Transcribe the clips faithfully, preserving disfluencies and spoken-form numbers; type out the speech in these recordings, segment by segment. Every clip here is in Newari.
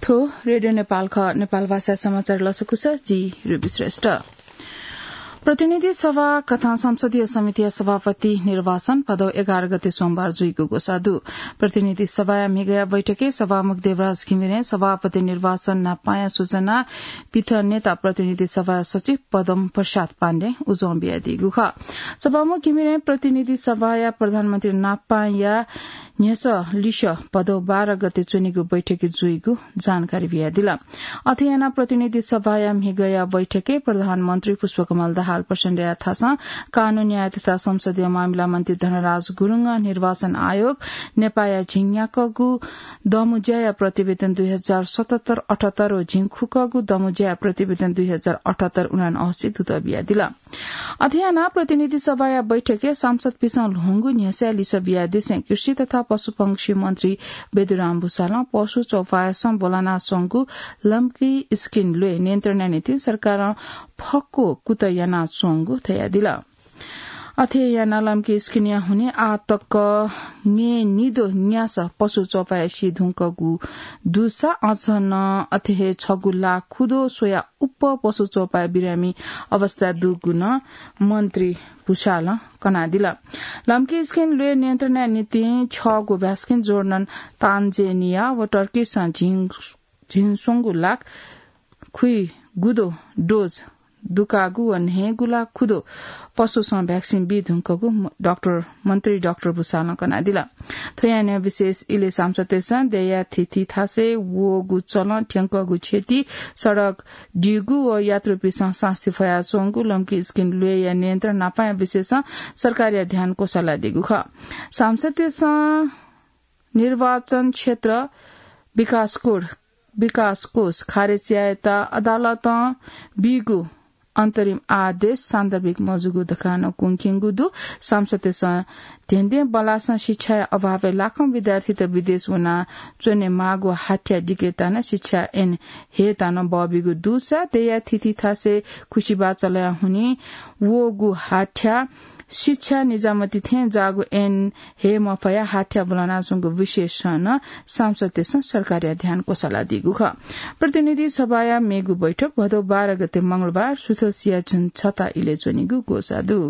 थ्व रेडियो नेपाल खः। नेपाल भाषा समाचार लसकुस, जि रुबी श्रेष्ठ। प्रतिनिधि सभा कथं संसदीय समितिया सभापति निर्वाचन भदौ एघार गते सोमबार जुइगु ग्वसाः दु। प्रतिनिधि सभाया म्हिगःया बैठकय् सभामुख देवराज घिमिरें सभापति निर्वाचन नापांया सूचना पिथनेत प्रतिनिधि सभाया सचिव पदम प्रसाद पाण्डें उजं बियादीगु खः। सभामुख घिमिरें प्रतिनिधि सभाया प्रधानमन्त्री नापांया न्ह्यसः लिसः भदौ बाह्र गते च्वनीगु बैठकय् जुइगु जानकारी बियादिल। अथे यानाः प्रतिनिधि सभाया म्हिगःया बैठकय् प्रधानमन्त्री पुष्पकमल दाहाल प्रचण्डया थासं कानून न्याय तथा संसदीय मामिला मन्त्री धनराज गुरुङं निर्वाचन आयोग नेपाःया झिंन्याक्वःगु दमुज्याया प्रतिवेदन दुई हजार सतहत्तर अठहत्तर व झिंखुक्वःगु दमुज्याया प्रतिवेदन दुई हजार अठहत्तर उनान्हय्सी दुत बियादिल। अथे यानाः प्रतिनिधि सभाया बैठकय् सांसदपिसं ल्ह्वंगु न्ह्यसःया लिसः बियादिसें कृषि तथा पशुपंक्षी मन्त्री बेदुराम भुसालं पशु चौपायसं ब्वलानाच्वंगु लम्की स्किन ल्वय् नियन्त्रणया निंतिं सरकारं फक्व कुतः यानाच्वंगु धयादिल। अथे यानाः लम्की स्किनया हुनिं आः तक न्यय्निद्वः न्यासः पशु चौपाय् सी धुंकूगु दुसा अझ नं अथे हे छगू लाख खुद्वः स्वयाः उप्वः पशु चौपाय् बिरामी अवस्था दुगु नं मन्त्री भुसालं कनादिल। लम्की स्किन ल्वय् नियन्त्रणया निंतिं छगू भ्याक्सिन जोर्डन, तान्जेनिया व टर्कीसं झिं, झिंस्वंगू लाख खुइगुद्वः डोज दुकागु व न्हय्गू लाख खुद्वः पशुसं भ्याक्सिन बी धुंकूगु म-, डाक्टर, मन्त्री डाक्टर भुसालं कनादिल। थ्व यानाः विशेष इलय् सांसदतय्सं देय्या थीथी थासय् वःगु चलं थ्यंकःगु क्षति, सडक दीगु व यात्रुपिसं सास्ती फयाच्वंगु लम्की स्किन ल्वय्या नियन्त्रण नापांया विषयसं सरकारया ध्यान क्वसालादीगु खः। सांसदतय्सं निर्वाचन क्षेत्र विकास कोड, विकास कोष खारेज यायेत अदालतं बीगु अन्तरिम आदेश सान्दर्भिक मजूगु धकाः नं कुंकेगु दु। सांसदतय्सं धेंधें बल्लासं शिक्षाया अभावय् लाखौं विद्यार्थीत विदेश वनाः च्वनेमाःगु हाथ्या दिकेत नं शिक्षा ऐन हयेत नं बःबीगु दुसा देय्या थीथी थासय् खुसिबाः चलया हुनिं वःगु हाथ्या शिक्षा निजामती थें जाःगु ऐन हये मफयाः हाथ्या ब्वलानाच्वंगु विषयसं नं सांसदतय्सं सरकारया ध्यान क्वसालादीगु खः। प्रतिनिधि सभाया मेगु बैठक भदौ बाह्र गते मंगलबार सुथसिया झन्झता इलय् च्वनीगु ग्वसाः दु।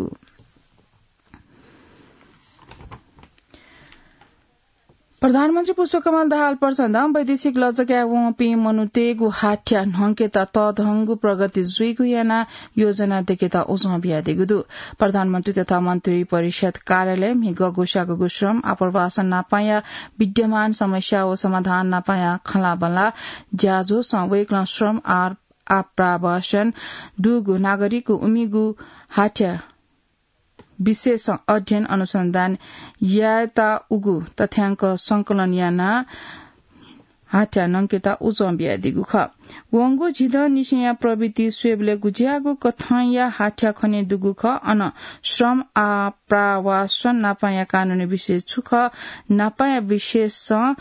प्रधानमन्त्री पुष्पकमल दाहाल प्रचण्डं वैदेशिक लजगाय् वंपिं मनूतय्गु हाथ्या न्हंकेत तःधंगु प्रगति जुइगु यानाः योजना दयेकेत उजं बियादीगु दु। प्रधानमन्त्री तथा मन्त्री परिषद कार्यालय म्हिगः ग्वसाःगु श्रम आप्रवासन नापांया विद्यमान समस्या व समाधान नापांया खँल्हाबल्हा ज्याझ्वलय् वय्कलं श्रम आ-, आप्रवासन दुगु नागरिकगु उमिगु हाथ्या विषयसं अध्ययन अनुसन्धान यायेत उगु तथ्यांक संकलन यानाः हाथ्या न्हंकेत उजं बियादीगु खः। वंगु झिदँनिसेंया प्रवृत्ति स्वयेबलय् गुज्याःगु कथंया हाथ्या खने दुगु खः। अन श्रम आप्रवासन नापांया कानूनी विषय छु खः, नापांया विषयसं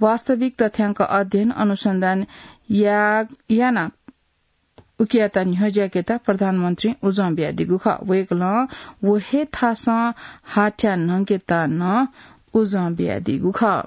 वास्तविक तथ्यांक अध्ययन अनुसन्धान या-, यानाः उकियात न्ह्यज्याकेत प्रधानमन्त्रीं उजं बियादीगु खः। वय्कलं व हे थासं हाथ्या न्हंकेत नं उजं बियादीगु खः।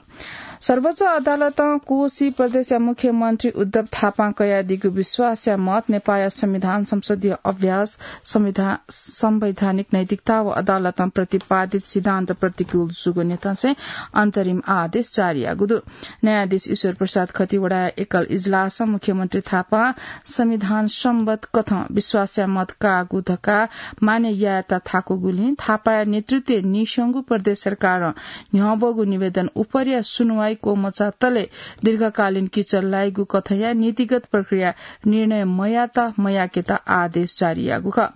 सर्वोच्च अदालतं कोशी प्रदेशया मुख्यमन्त्री उद्धव थापां कयादीगु विश्वासया मत नेपाःया संविधान, संसदीय अभ्यास, संविधा-, संवैधानिक नैतिकता व अदालतं प्रतिपादित सिद्धान्त प्रतिकूल जूगु न्ह्यथंसें अन्तरिम आदेश जारी याःगु दु। न्यायाधीश ईश्वर प्रसाद खतिवडाया एकल इजलासं मुख्यमन्त्री थापां संविधान सम्बत कथं विश्वासया मत काःगु धकाः मान्य यायेत थाकूगुलिं थापाया नेतृत्वय् नीस्वंगु प्रदेश सरकारं न्ह्यब्वःगु निवेदन उपरया सुनुवाइ क्वमचातले दीर्घकालीन किचल लाइगु कथंया नीतिगत प्रक्रिया निर्णय मयात मयाकेत आदेश जारी याःगु खः।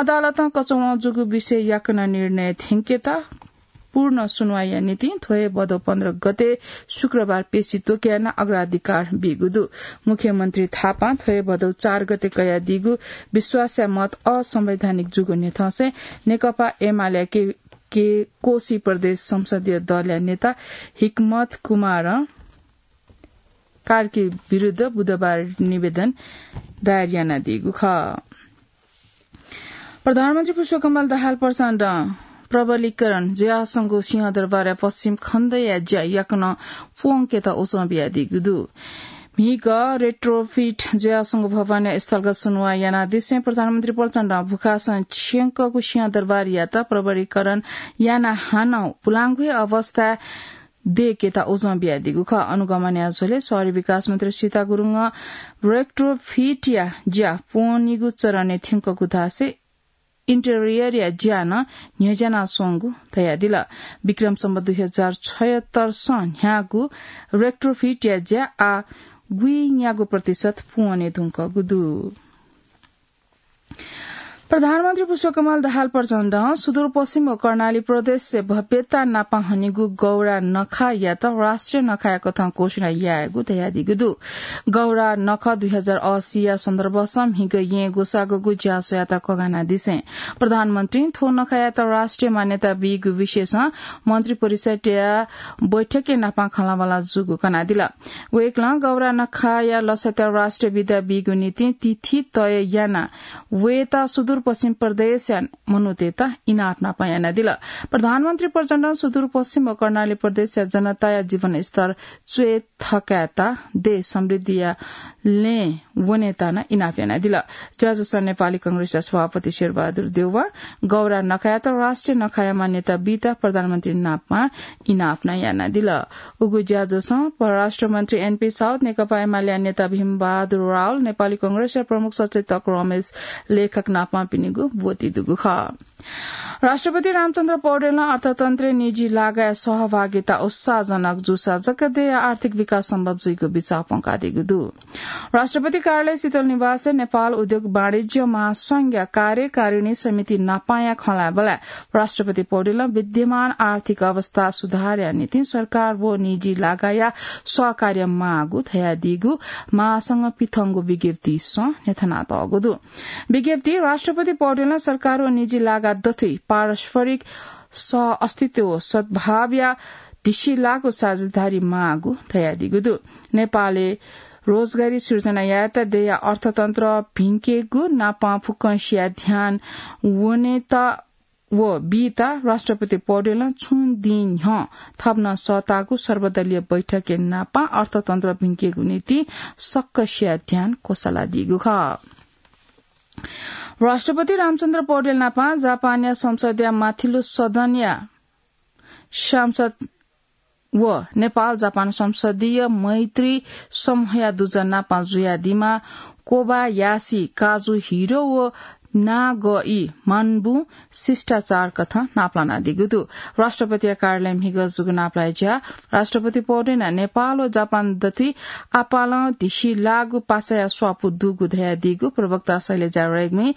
अदालतं कचवं जूगु विषय याकनं निर्णय थ्यंकेत पूर्ण सुनुवाइया निंतिं थ्व हे भदौ पन्ध्र गते शुक्रबार पेशी त्वके यानाः अग्राधिकार बीगु दु। मुख्यमन्त्री थापां थ्व हे भदौ चार गते कयादीगु विश्वासया मत असंवैधानिक जूगु न्ह्यथंसें नेकपा एमालेया के, के कोशी प्रदेश संसदीय दलया नेता हिकमत कुमारं कार्की विरुद्ध बुधबार निवेदन दायर यानादीगु खः। प्रधानमन्त्री पुष्पकमल दाहाल प्रचण्डं प्रबलीकरण जुयाच्वंगु सिंहदरबारया पश्चिम खण्डया ज्या याकनं प्वंकेत उजं बियादीगु दु। म्हिगः retrofit जुयाच्वंगु भवनया स्थलगत सुनुवाः यानादिसें प्रधानमन्त्री प्रचण्डं भुखासं छ्यंकःगु सिंहदरबारयात प्रबरीकरण यानाः हानं पुलांगु हे अवस्थाय् दयेकेत उजं बियादीगु खः। अनुगमनया झ्वलय् शहरी विकास मन्त्री सीता गुरुङं retrofitया ज्या पूवनीगु चरणय् थ्यंकःगु धासें interiorया ज्या नं न्ह्यज्यानाच्वंगु धयादिल। विक्रम सम्वत दुई हजार छयत्तर सं न्ह्याःगु retrofitया ज्या आः गुइन्यागू प्रतिशत पूवने धुंकूगु दु। प्रधानमन्त्री पुष्पकमल दाहाल प्रचण्डं सुदूरपश्चिम व कर्णाली प्रदेशया भव्यता नापं हनीगु गौरा नखायात राष्ट्रिय नखाया कथं घोषणा यायेगु धयादीगु दु। गौरा नखः दुई हजार अस्सीया सन्दर्भसं म्हिगः येँ ग्वसाःगु ज्या स्वयात कगानादिसें प्रधानमन्त्रीं थ्व नखायात राष्ट्रिय मान्यता बीगु विषयसं मन्त्री परिषदया बैठकय् नापं खँल्हाबल्हा जूगु कनादिल। वय्कलं गौरा नखाया लसताय् राष्ट्रिय विदा बीगु निंतिं तिथि तय यानाः वयेत सुदूरपश्चिम प्रदेशया मनूतय्त इनाप नापं यानादिल। प्रधानमन्त्री प्रचण्डं सुदूरपश्चिम व कर्णाली प्रदेशया जनताया जीवनस्तर च्वय् थकायेत देश समृद्धिया लँय् वनेत नं इनाप यानादिल। ज्याझ्वलय् नेपाली कांग्रेसया सभापति शेरबहादुर देउवां गौरा नखायात राष्ट्रिय नखाया मान्यता बीत प्रधानमन्त्री नापं इनाप नं यानादिल। उगु ज्याझ्वलय् परराष्ट्र मन्त्री एनपी साउद, नेकपा एमालेया नेता भीमबहादुर रावल, नेपाली कांग्रेसया प्रमुख सचेतक रमेश लेखक नापं पिनिगु ब्वति दुगु खः। राष्ट्रपति रामचन्द्र पौडेलं अर्थतन्त्रय् निजी लागाया सहभागिता उत्साहजनक जूसा जक देय्या आर्थिक विकास सम्भव जुइगु बिचाः प्वंकादीगु दु। राष्ट्रपति कार्यालय शीतल निवासय् नेपाल उद्योग वाणिज्य महासंघया कार्यकारिणी समिति नापांया खँल्हाबल्हाय् राष्ट्रपति पौडेलं विद्यमान आर्थिक अवस्था सुधारया निंतिं सरकार व निजी लागाया सहकार्य माःगु धयादीगु महासंघं पिथंगु विज्ञप्तिसं न्ह्यथनातःगु दु। विज्ञप्तिइ राष्ट्रपति पौडेलं सरकार व निजी लागा दथुइ पारस्परिक सह अस्तित्व व सद्भावया धिसिलाःगु साझेदारी माःगु धयादीगु दु। नेपालय् रोजगारी सिर्जना यायेत देय्या अर्थतन्त्र भिंकेगु नापं फुक्कसिया ध्यान वनेत व बीत राष्ट्रपति पौडेलं छुं दिं न्ह्यः थप नं सःताःगु सर्वदलीय बैठकय् नापं अर्थतन्त्र भिंकेगु निंतिं सक्कसिया ध्यान क्वसालादीगु खः। राष्ट्रपति रामचन्द्र पौडेल नापं जापानया संसदया माथिल्लो सदनया सांसद व नेपाल जापान संसदीय मैत्री समूहया दुजः नापं जुयादीम्ह कोबायासी काजुहिरो व नागई मानबुं शिष्टाचार कथं नापलानादीगु दु। राष्ट्रपतिया कार्यालयं म्हिगः जूगु नापलाये ज्या राष्ट्रपति पौडेलं नेपाल व जापान दथुइ आपालं धिसिलाःगु पासाया स्वापू दुगु धयादीगु प्रवक्ता शैलजा रेग्मीं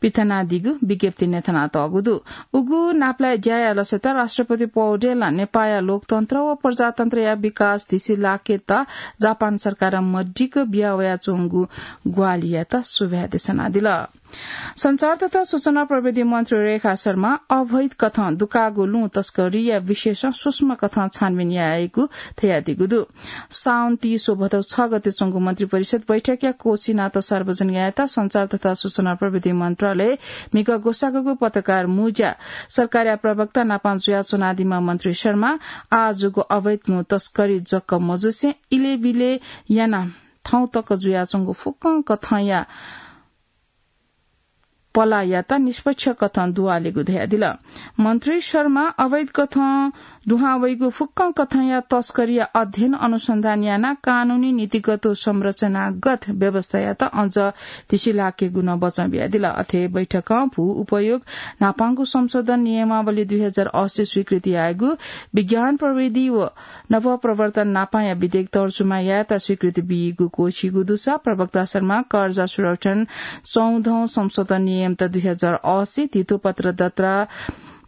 पिथनादीगु विज्ञप्तिइ न्ह्यथनातःगु दु। उगु नापलाये ज्याया लसताय् राष्ट्रपति पौडेलं नेपाःया लोकतन्त्र व प्रजातन्त्रया विकास धिसिलाकेत जापान सरकारं मदिक्क बियावयाच्वंगु ग्वाहालियात सुभाय् देछानादिल। सञ्चार तथा सूचना प्रविधि मन्त्री रेखा शर्मां अवैध कथं दुकाःगु लुँ तस्करीया विषयसं सूक्ष्म कथं छानबिन यायेगु धयादीगु दु। साउन तीस व भदौ छ गते च्वंगु मन्त्री परिषद बैठकया कोशी नाता सार्वजनिक यायेत सञ्चार तथा सूचना प्रविधि मन्त्रालयय् म्हिगः ग्वसाःगु पत्रकार मुँज्याय् सरकारया प्रवक्ता नापं जुयाच्वनादीम्ह मन्त्री शर्मां आः जूगु अवैध लुँ तस्करी जक मजुसें इलय्‌बिलय् यानाः थौं तक जुयाच्वंगु फुक्कं कथंया पलायात निष्पक्ष कथं दुवालेगु धयादिल। मन्त्री शर्मां अवैध कथं दुहां वइगु फुक्कं कथंया तस्करीया अध्ययन अनुसन्धान यानाः कानूनी, नीतिगत व संरचनागत व्यवस्थायात अझ धिसिलाकेगु नं बचं बियादिल। अथे बैठकं भू उपयोग न्हापांगु संशोधन नियमावली दुई हजार अस्सी स्वीकृति यायेगु, विज्ञान प्रविधि व नवप्रवर्तन न्हापांया विधेयक तर्जुमा यायेत स्वीकृति बीगु क्वःछिइगु दुसा प्रवक्ता शर्मां कर्जा सुरक्षण चौधौं संशोधन नियम त दुई हजार अस्सी, धितोपत्र दर्ता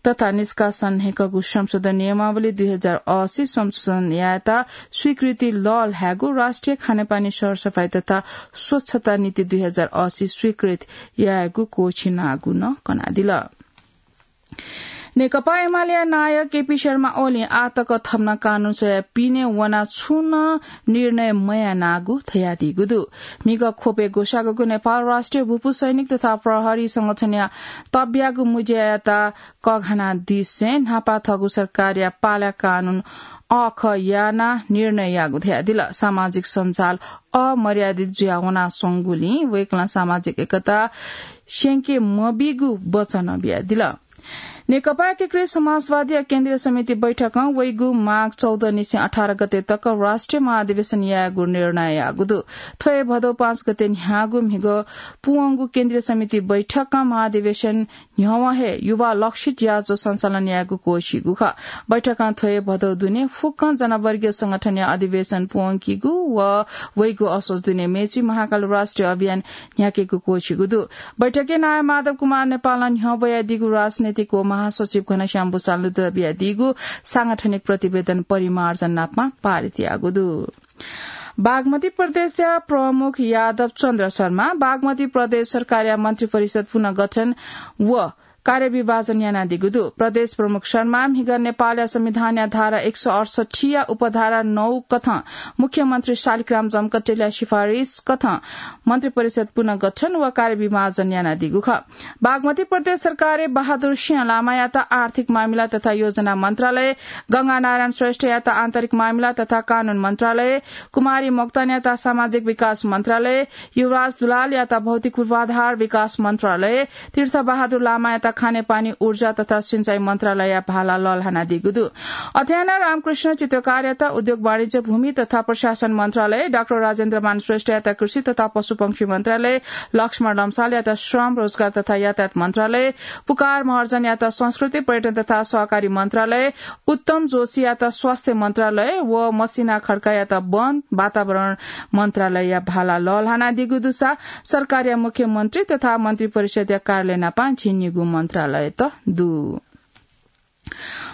तथा निष्कासन न्हय्कःगु संशोधन नियमावली दुई हजार अस्सी संशोधन यायेत स्वीकृति लःल्हायेगु, राष्ट्रिय खानेपानी सरसफाई तथा स्वच्छता नीति दुई हजार अस्सी स्वीकृत यायेगु क्वःछिनागु नं कनादिल। नेकपा एमालेया नायः केपी शर्मा ओलीं आः तक थम्हं कानून स्वयाः पिने वनाः छुं नं निर्णय मयानागु धयादीगु दु। म्हिगः ख्वपय् ग्वसाःगु नेपाल राष्ट्रिय भूपू सैनिक तथा प्रहरी संगठनया तब्यागु मुज्यायात कःघानादिसें न्हापा थःगु सरकारया पाला कानून अःखः यानाः निर्णय याःगु धयादिल। सामाजिक सञ्जाल अमर्यादित जुयाः वनाच्वंगुलिं वय्कलं सामाजिक एकता स्यंके मबीगु वचन बियादिल। नेकपा एकीकृत समाजवादीया केन्द्रीय समिति बैठकं वइगु माघ चौध निसें अठार गते तक राष्ट्रिय महाधिवेशन यायेगु निर्णय याःगु दु। थ्व हे भदौ पाँच गते न्ह्याःगु म्हिगः पूवंगु केन्द्रीय समिति बैठकं महाधिवेशन न्ह्यवं हे युवा लक्षित ज्याझ्वः सञ्चालन यायेगु क्वःछिइगु खः। बैठकं थ्व हे भदौ दुने फुक्कं जनवर्गीय संगठनया अधिवेशन पूवंकीगु व वइगु असोज दुने मेची महाकाल राष्ट्रिय अभियान न्ह्याकेगु क्वःछिइगु दु। बैठकय् नायः माधव कुमार नेपालं न्ह्यब्वयादीगु राजनैतिक व महासचिव घनश्याम भुसालनं बियादीगु सांगठनिक प्रतिवेदन परिमार्जन नापं पारित याःगु दु। बागमती प्रदेशया प्रमुख यादव चन्द्र शर्मा बागमती प्रदेश सरकारया मन्त्री परिषद पुनर्गठन व कार्यविभाजन यानादीगु दु। प्रदेश प्रमुख शर्मा म्हिगः नेपालया संविधानया धारा एक सय अठसट्ठीया उपधारा नौ कथं मुख्यमन्त्री शालिग्राम जमकटेलया सिफारिस कथं मन्त्री परिषद पुनर्गठन व कार्यविभाजन यानादीगु खः। बागमती प्रदेश सरकारय् बहादुर सिंह लामायात आर्थिक मामिला तथा योजना मन्त्रालय, गंगानारायण श्रेष्ठयात आन्तरिक मामिला तथा कानून मन्त्रालय, कुमारी मोक्तानयात सामाजिक विकास मन्त्रालय, युवराज दुलालयात भौतिक पूर्वाधार विकास मन्त्रालय, तीर्थ बहादुर लामायात खानेपानी, ऊर्जा तथा सिँचाइ मन्त्रालयया भाला लःल्हानादीगु दु। अथेयानं रामकृष्ण चित्तकारयात उद्योग वाणिज्य भूमि तथा प्रशासन मन्त्रालय, डाक्टर राजेन्द्रमान श्रेष्ठयात कृषि तथा पशुपंक्षी मन्त्रालय, लक्ष्मण लम्सालयात श्रम, रोजगार तथा यातायात मन्त्रालय, पुकार महर्जनयात संस्कृति, पर्यटन तथा सहकारी मन्त्रालय, उत्तम जोशीयात स्वास्थ्य मन्त्रालय व मसिना खड्कायात वन, वातावरण मन्त्रालयया भाला लःल्हानादीगु दुसा सरकारया मुख्यमन्त्री तथा मन्त्री परिषदया कार्यालय नापं झिंनिगू मन्त्रालयत दु।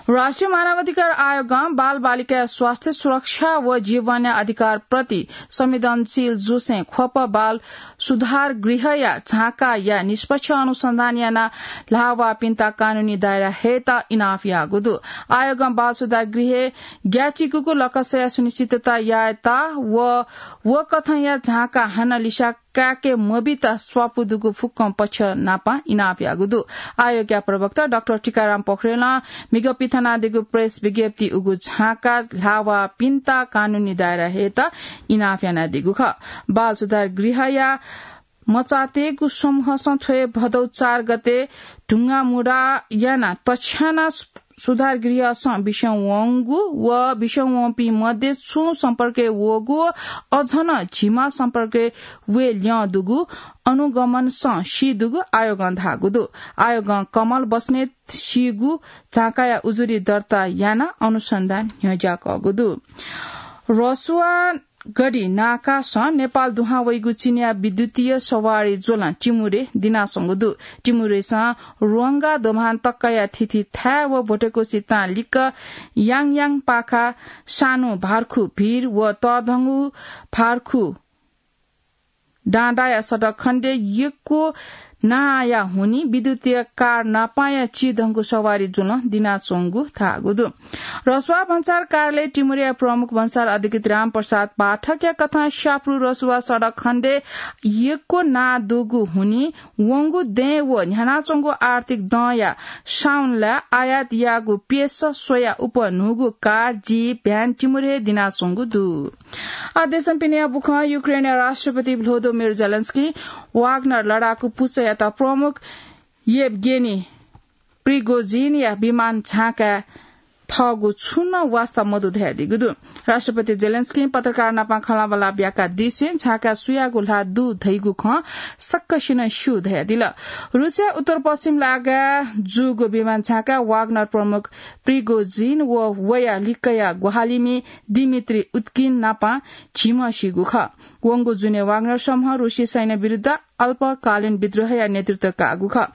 राष्ट्रिय मानवाधिकार आयोगं बालबालिकाया स्वास्थ्य सुरक्षा व जीवनया अधिकारप्रति संवेदनशील जूसें ख्वप बाल सुधार गृहया झाँकाया निष्पक्ष अनुसन्धान यानाः ल्हाःवाःपिन्त कानूनी दायरा हयेत इनाप याःगु दु। आयोगं बाल सुधार गृहय् ग्याःचिकूगु लकसया सुनिश्चितता यायेत व व कथंया झाँका हानं लिस्याः काय्के मबीत स्वापू दुगु फुक्कं पक्ष नापं इनाप याःगु दु। आयोगया प्रवक्ता डाक्टर टीकाराम पोखरेलं म्हिगः पिथनादीगु प्रेस विज्ञप्तिइ उगु झाँका ल्हाःवाःपिन्त कानूनी दायरा हयेत इनाप यानादीगु खः। बाल सुधार गृहया मचातय्गु समूहसं थ्व हे भदौ चार गते ढुङ्गामुढा यानाः तछ्यानाः सुधार गृहसं बिस्युं वंगु व बिस्युं वंपिं मध्ये छुं सम्पर्कय् वःगु व अझ नं झिम्ह सम्पर्कय् वये ल्यं दुगु अनुगमनसं सी दुगु आयोगं धाःगु दु। आयोगं कमल बस्नेत सीगु झाँकाया उजुरी दर्ता यानाः अनुसन्धान न्ह्यज्याकःगु दु। रसुवा गढी नाकासं नेपाल दुहां वइगु चीनया विद्युतीय सवारी ज्वलं टिमुरे दिनाच्वंगु दु। टिमुरेसं ह्वांगा दोभान तकया थीथी थाय् व भोटेकोसी तां लिक्क याङयाङ पाखा सानु भार्खु भीर व तःधंगु भार्खु डाँडाया सडक खण्डय् यक्व नांया हुनिं विद्युतीय कार नापांया चिधंगु सवारी ज्वलं दिनाच्वंगु धाःगु दु। रसुवा भन्सार कार्यालय टिमुरेया प्रमुख भन्सार अधिकृत रामप्रसाद पाठकया कथं स्याप्रु रसुवा सडक खण्डय् यक्व नां दुगु हुनिं वंगु दँय् व न्ह्यानाच्वंगु आर्थिक दँया साउनलाय् आयात याःगु प्यसः स्वयाः उप न्हूगु कार, जीप, भ्यान टिमुरे दिनाच्वंगु दु। आः देशं पिनेया बुखँ। युक्रेनया राष्ट्रपति भ्लोदोमिर जेलेन्स्की वाग्नर लडाकु पुचःयात प्रमुख येवगेनी प्रिगोजिनया विमान झांकाय् थःगु छुं नं वास्ता मदु धयादीगु दु। राष्ट्रपति जेलेन्स्कीं पत्रकार नाप खँल्हाबल्हा ब्याकादिसें झांकाय् सुयागु ल्हाः दु धइगु खँ सकसिनं स्यू धयादिल। रुसया उत्तर पश्चिम लागाय् जूगु विमान झांकाय् वाग्नर प्रमुख प्रिगोजिन व वया लिक्कया ग्वाहालिमि दिमित्री उद्किन नाप झिम्ह सीगु खः। वंगु जुने वाग्नर समूहं रुसी सैन्य विरुद्ध अल्पकालीन विद्रोहया नेतृत्व काःगु खः।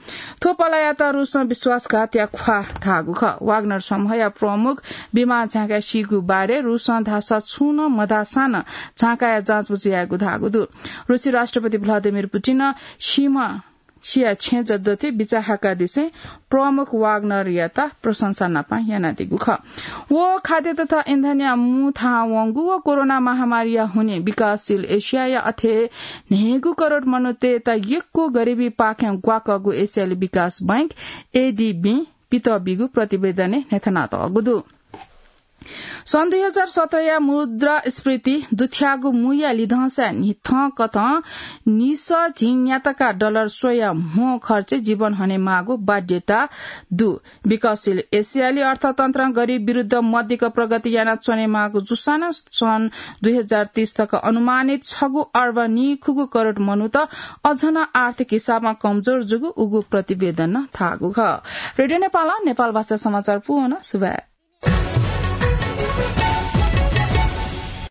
थ्व पालायात रुसं विश्वासघातया ख्वाः धाःगु खः। वाग्नर समूहया प्रमुख विमान झांकाय् सीगु बारे रुसं धाःसा छुं नं मधाःसां नं झांकाया जाँचबुझ यायेगु धाःगु दु। रुसी राष्ट्रपति भ्लादिमिर पुटिनं सीम्ह सिया छेँ जद्दथे बिचाः हाकादिसें प्रमुख वाग्नरयात प्रशंसा नापं यानादीगु खः। व खाद्य तथा इन्धनया मू थाहां वंगु व कोरोना महामारीया हुनिं विकासशील एसियाया अथे न्हय्गू करोड मनूतय्त यक्व गरिबीपाखें ग्वाकःगु एसियाली विकास बैंक, एडीबी, पितः बीगु प्रतिवेदनय् न्ह्यथनातःगु दु। सन् दुई हजार सत्रया मुद्रास्फीति दुथ्याःगु मूया लिधंसाय् न्हिथंकथं निसः झिंन्यातका डलर स्वया म्हो खर्चे जीवन हनेमाःगु बाध्यता दु। विकासशील एसियाली अर्थतन्त्रं गरिब विरुद्ध मध्यक प्रगति यानाच्वनेमाःगु जूसां नं सन् दुई हजार तीस तक अनुमानित छगू अर्ब निखुगू करोड मनूत अझ नं आर्थिक हिसाबं कमजोर जूगु उगु प्रतिवेदनं धाःगु खः। रेडियो नेपालं नेपाल भाषा समाचार पूवना। सुभाय्।